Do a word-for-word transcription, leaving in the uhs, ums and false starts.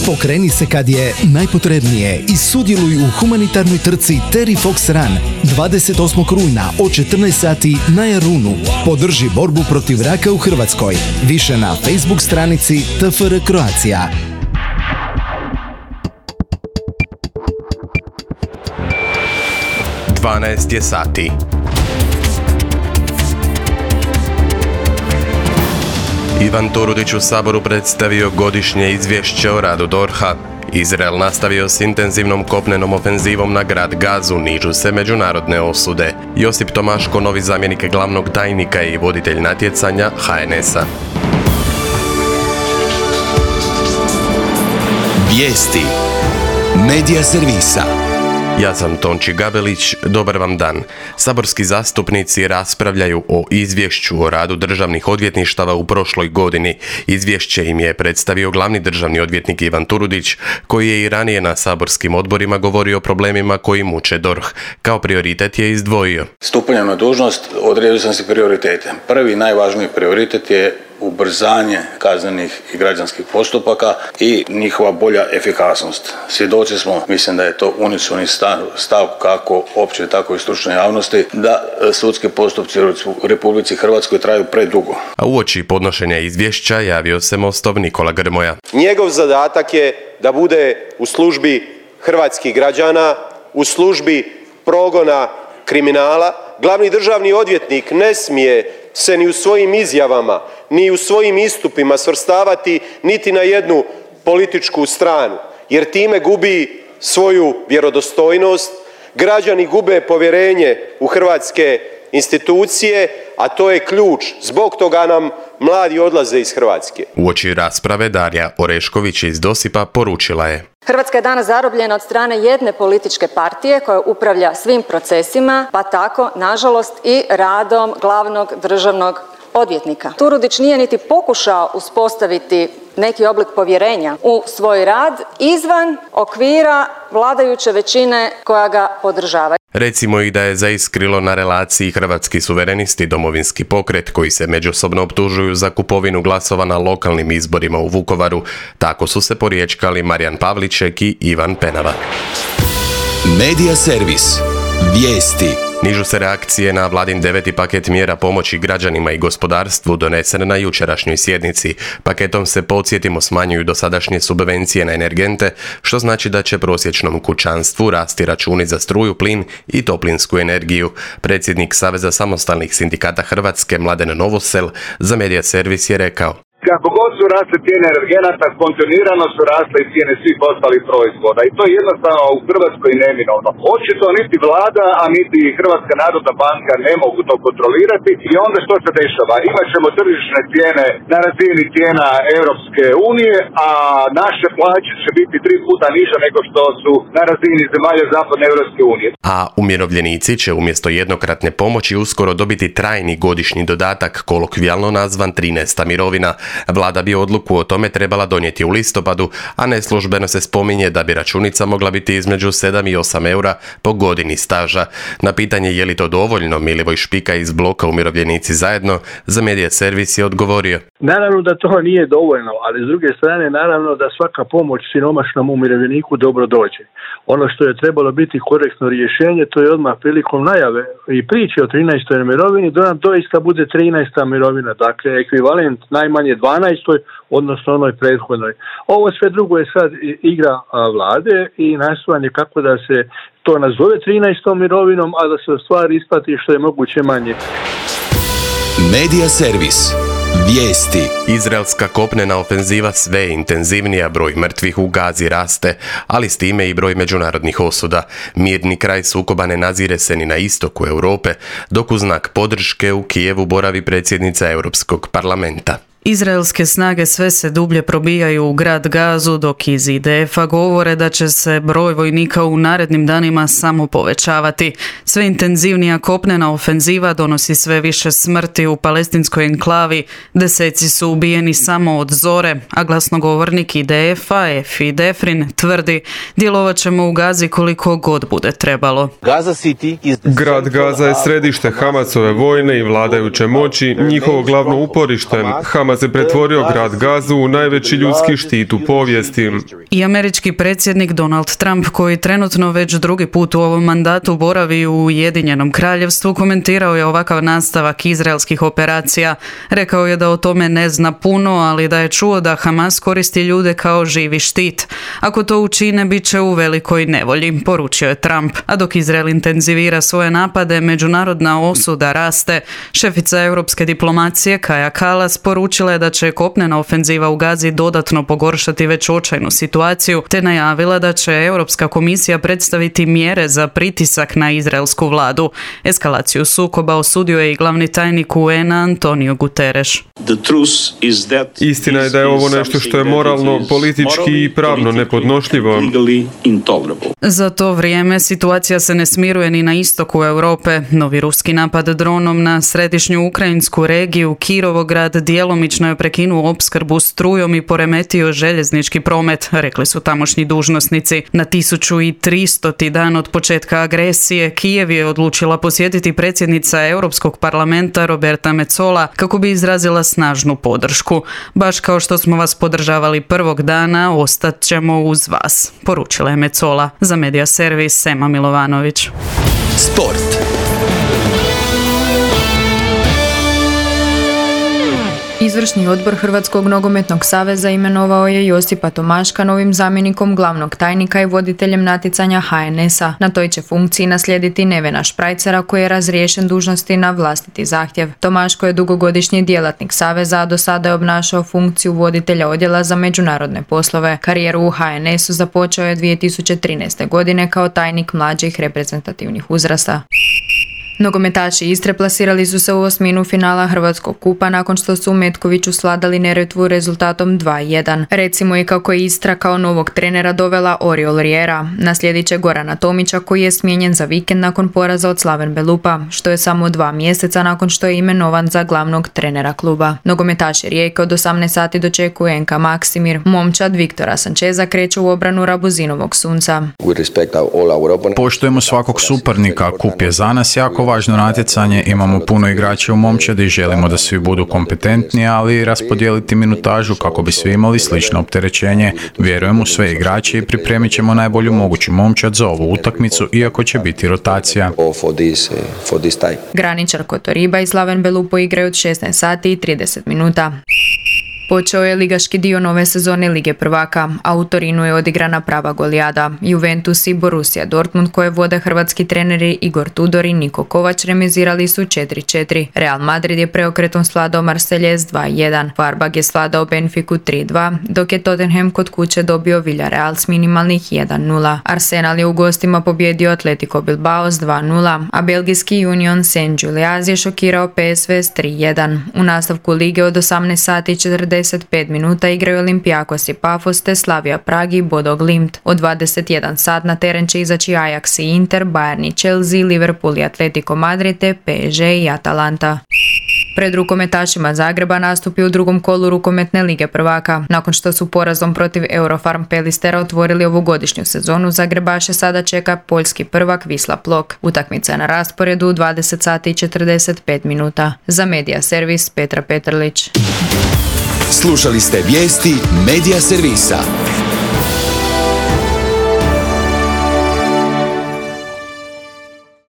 Pokreni se kad je najpotrebnije i sudjeluj u humanitarnoj trci Terry Fox Run dvadeset osmog rujna od četrnaest sati na Jarunu. Podrži borbu protiv raka u Hrvatskoj. Više na Facebook stranici T F R Croatia. dvanaest je sati. Ivan Turudić u Saboru predstavio godišnje izvješće o radu D O R H-a. Izrael nastavio s intenzivnom kopnenom ofenzivom na grad Gazu, nižu se međunarodne osude. Josip Tomaško, novi zamjenik glavnog tajnika i voditelj natjecanja H N S-a. Vijesti Medija servisa. Ja sam Tonči Gabelić, dobar vam dan. Saborski zastupnici raspravljaju o izvješću o radu državnih odvjetništava u prošloj godini. Izvješće im je predstavio glavni državni odvjetnik Ivan Turudić, koji je i ranije na saborskim odborima govorio o problemima koji muče D O R H. Kao prioritet je izdvojio. Stupanjem na dužnost odredio sam si prioritete. Prvi najvažniji prioritet je ubrzanje kaznenih i građanskih postupaka i njihova bolja efikasnost. Svjedoci smo, mislim da je to unisoni stav, stav kako opće, tako i stručne javnosti, da sudski postupci u Republici Hrvatskoj traju predugo. A uoči podnošenja izvješća javio se Mostov Nikola Grmoja. Njegov zadatak je da bude u službi hrvatskih građana, u službi progona kriminala. Glavni državni odvjetnik ne smije se ni u svojim izjavama, ni u svojim istupima svrstavati niti na jednu političku stranu, jer time gubi svoju vjerodostojnost, građani gube povjerenje u hrvatske institucije, a to je ključ. Zbog toga nam mladi odlaze iz Hrvatske. Uoči rasprave Darija Orešković iz Dosipa poručila je: Hrvatska je danas zarobljena od strane jedne političke partije koja upravlja svim procesima, pa tako, nažalost, i radom glavnog državnog odvjetnika. Turudić nije niti pokušao uspostaviti neki oblik povjerenja u svoj rad izvan okvira vladajuće većine koja ga podržava. Recimo i da je zaiskrilo na relaciji Hrvatski suverenisti Domovinski pokret, koji se međusobno optužuju za kupovinu glasova na lokalnim izborima u Vukovaru. Tako su se poriječkali Marijan Pavliček i Ivan Penava. Medija servis. Vijesti. Nižu se reakcije na vladin deveti paket mjera pomoći građanima i gospodarstvu donesen na jučerašnjoj sjednici. Paketom se, podsjetimo, smanjuju dosadašnje subvencije na energente, što znači da će prosječnom kućanstvu rasti računi za struju, plin i toplinsku energiju. Predsjednik Saveza samostalnih sindikata Hrvatske Mladen Novosel za Medija servis je rekao: Kako god su rasle cijene energenata, kontinuirano su rasle i cijene svih ostalih proizvoda i to je jednostavno u Hrvatskoj neminovno. Očito niti vlada, a niti Hrvatska narodna banka ne mogu to kontrolirati i onda što se dešava? Imat ćemo tržišne cijene na razini cijena Europske unije, a naše plaće će biti tri puta niže nego što su na razini zemalja zapadne Europske unije. A umirovljenici će umjesto jednokratne pomoći uskoro dobiti trajni godišnji dodatak, kolokvijalno nazvan trinaesta mirovina. Vlada bi odluku o tome trebala donijeti u listopadu, a neslužbeno se spominje da bi računica mogla biti između sedam i osam eura po godini staža. Na pitanje je li to dovoljno, Milivoj Špika iz bloka Umirovljenici zajedno za Medija servis je odgovorio: Naravno da to nije dovoljno, ali s druge strane naravno da svaka pomoć siromašnom umirovljeniku dobro dođe. Ono što je trebalo biti korektno rješenje, to je odmah prilikom najave i priče o trinaestoj mirovini, da nam doista bude trinaesta mirovina, dakle ekvivalent najmanje dvanaestoj, odnosno onoj prethodnoj. Ovo sve drugo je sad igra vlade i nastojanje kako da se to nazove trinaestom mirovinom, a da se u stvari isplati što je moguće manje. Medija servis. Vijesti. Izraelska kopnena ofenziva sve je intenzivnija, broj mrtvih u Gazi raste, ali s time i broj međunarodnih osuda. Mirni kraj sukoba ne nazire se ni na istoku Europe, dok u znak podrške u Kijevu boravi predsjednica Europskog parlamenta. Izraelske snage sve se dublje probijaju u grad Gazu, dok iz I D F-a govore da će se broj vojnika u narednim danima samo povećavati. Sve intenzivnija kopnena ofenziva donosi sve više smrti u palestinskoj enklavi. Deseci su ubijeni samo od zore, a glasnogovornik I D F-a, Efi Defrin, tvrdi: djelovat ćemo u Gazi koliko god bude trebalo. Grad Gaza je središte Hamasove vojne i vladajuće moći, njihovo glavno uporište. Hamas godinama se pretvorio grad Gazu u najveći ljudski štit u povijesti. I američki predsjednik Donald Trump, koji trenutno već drugi put u ovom mandatu boravi u Ujedinjenom kraljevstvu, komentirao je ovakav nastavak izraelskih operacija. Rekao je da o tome ne zna puno, ali da je čuo da Hamas koristi ljude kao živi štit. Ako to učine, bit će u velikoj nevolji, poručio je Trump. A dok Izrael intenzivira svoje napade, međunarodna osuda raste. Šefica europske diplomacije Kaja Kallas poručila je da će kopnena ofenziva u Gazi dodatno pogoršati već očajnu situaciju, te najavila da će Europska komisija predstaviti mjere za pritisak na izraelsku vladu. Eskalaciju sukoba osudio je i glavni tajnik U N A Antonio Guterres. Istina je da je ovo nešto što je moralno, politički i pravno nepodnošljivo. Za to vrijeme situacija se ne smiruje ni na istoku Europe. Novi ruski napad dronom na središnju ukrajinsku regiju Kirovograd djelomično je prekinuo opskrbu strujom i poremetio željeznički promet, rekli su tamošnji dužnosnici. Na tisuću tristoti dan od početka agresije Kijev je odlučila posjetiti predsjednica Europskog parlamenta Roberta Metsola kako bi izrazila snažnu podršku. Baš kao što smo vas podržavali prvog dana, ostat ćemo uz vas, poručila je Metsola. Za Media Servis Sema Milovanović. Sport. Izvršni odbor Hrvatskog nogometnog saveza imenovao je Josipa Tomaška novim zamjenikom glavnog tajnika i voditeljem natjecanja H N S-a. Na toj će funkciji naslijediti Nevena Šprajcera, koji je razriješen dužnosti na vlastiti zahtjev. Tomaško je dugogodišnji djelatnik saveza, a do sada je obnašao funkciju voditelja odjela za međunarodne poslove. Karijeru u H N S-u započeo je dvije tisuće trinaeste. godine kao tajnik mlađih reprezentativnih uzrasta. Nogometaši Istre plasirali su se u osminu finala Hrvatskog kupa nakon što su u Metkoviću svladali Neretvu rezultatom dva jedan. Recimo i kako je Istra kao novog trenera dovela Oriol Riera. Naslijedit će Gorana Tomića, koji je smijenjen za vikend nakon poraza od Slaven Belupa, što je samo dva mjeseca nakon što je imenovan za glavnog trenera kluba. Nogometaši Rijeke od osamnaest sati dočekuju N K Maksimir. Momčad Viktora Sančeza kreće u obranu Rabuzinovog Sunca. Poštujemo svakog suparnika, kup je za nas jako važno natjecanje, imamo puno igrača u Momčadi i želimo da svi budu kompetentni, ali raspodijeliti minutažu kako bi svi imali slično opterećenje. Vjerujem u sve igrače i pripremit ćemo najbolju moguću Momčad za ovu utakmicu, iako će biti rotacija. Graničar Kotoriba i Slaven Belupo igraju od šesnaest sati i trideset minuta. Počeo je ligaški dio nove sezone Lige prvaka, a u Torinu je odigrana prava golijada. Juventus i Borussia Dortmund, koje vode hrvatski treneri Igor Tudor i Niko Kovač, remizirali su četiri četiri. Real Madrid je preokretom svladao Marseillez dva jedan. Farbag je svladao Benfiku tri dva, dok je Tottenham kod kuće dobio Villarreal s minimalnih jedan nula. Arsenal je u gostima pobjedio Atletico Bilbao s dva nula, a belgijski Union Saint-Gilloise je šokirao P S V s tri jedan. U nastavku lige od osamnaest sati i četrdeset pet minuta igraju Olympiakos i Pafos te Slavia Prag i Bodo Glimt. Od dvadeset jedan sat na teren će izaći Ajax i Inter, Bayern i Chelsea, Liverpool i Atletico Madrid te P S G i Atalanta. Pred rukometašima Zagreba nastupi u drugom kolu rukometne Lige prvaka. Nakon što su porazom protiv Eurofarm Pelistera otvorili ovogodišnju sezonu, Zagrebaše sada čeka poljski prvak Wisla Plock. Utakmica je na rasporedu u dvadeset sati i četrdeset pet minuta. Za Media Servis Petra Petrlić. Slušali ste vijesti Media Servisa.